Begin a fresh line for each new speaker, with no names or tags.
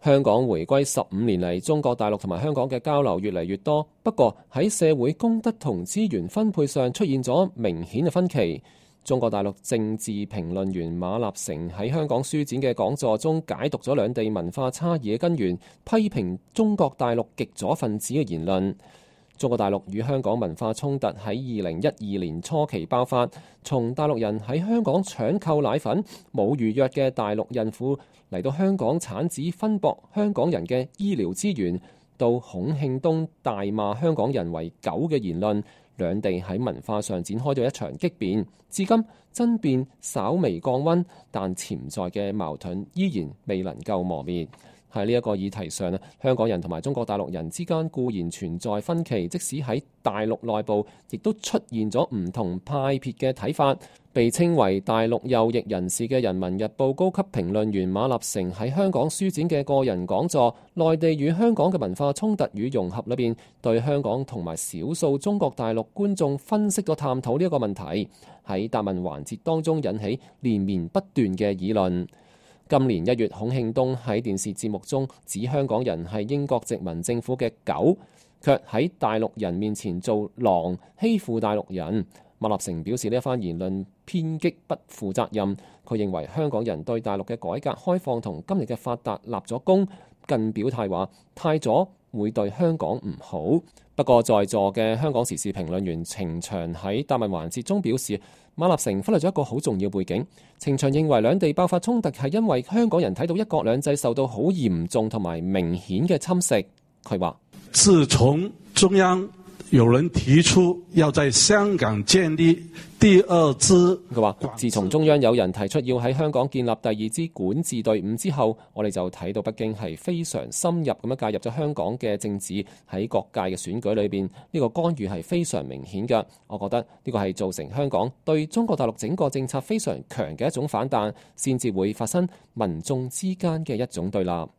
香港回歸15年嚟，中國大陸同埋香港嘅交流越嚟越多，不過喺社會公德同資源分配上出現咗明顯嘅分歧。中國大陸政治評論員馬立成喺香港書展嘅講座中解讀咗兩地文化差異嘅根源，批評中國大陸極左分子嘅言論。中國大陸與香港文化衝突喺2012年初期爆發，從大陸人喺香港搶購奶粉、冇預約嘅大陸孕婦嚟到香港產子分薄香港人嘅醫療資源，到孔慶東大罵香港人為狗嘅言論，兩地喺文化上展開咗一場激辯。至今爭辯稍微降溫，但潛在嘅矛盾依然未能夠磨滅。喺呢一個議題上，香港人同埋中國大陸人之間固然存在分歧，即使喺大陸內部，亦都出現咗唔同派別嘅睇法。被稱為大陸右翼人士嘅《人民日報》高級評論員馬立成喺香港書展嘅個人講座《內地與香港嘅文化衝突與融合》裏邊，對香港同埋少數中國大陸觀眾分析咗探討呢一個問題，喺答問環節當中引起連綿不斷嘅議論。今年1月，孔慶東喺電視節目中指香港人係英國殖民政府嘅狗，卻喺大陸人面前做狼，欺負大陸人。馬立成表示呢一番言論偏激不負責任。佢認為香港人對大陸嘅改革開放同今日嘅發達立咗功，更表態話太左會對香港唔好。不過在座嘅香港時事評論員程翔喺答問環節中表示，馬立成忽略咗一個好重要背景。程翔認為兩地爆發衝突係因為香港人睇到一國兩制受到好嚴重同埋明顯嘅侵蝕。佢話：
自從中央有人提出要在香港建立第二支，
佢話自從中央有人提出要喺香港建立第二支管治隊伍之後，我哋就睇到北京係非常深入咁樣介入咗香港嘅政治，喺各界嘅選舉裏邊，呢個干預係非常明顯嘅。我覺得呢個係造成香港對中國大陸整個政策非常強嘅一種反彈，先至會發生民眾之間嘅一種對立。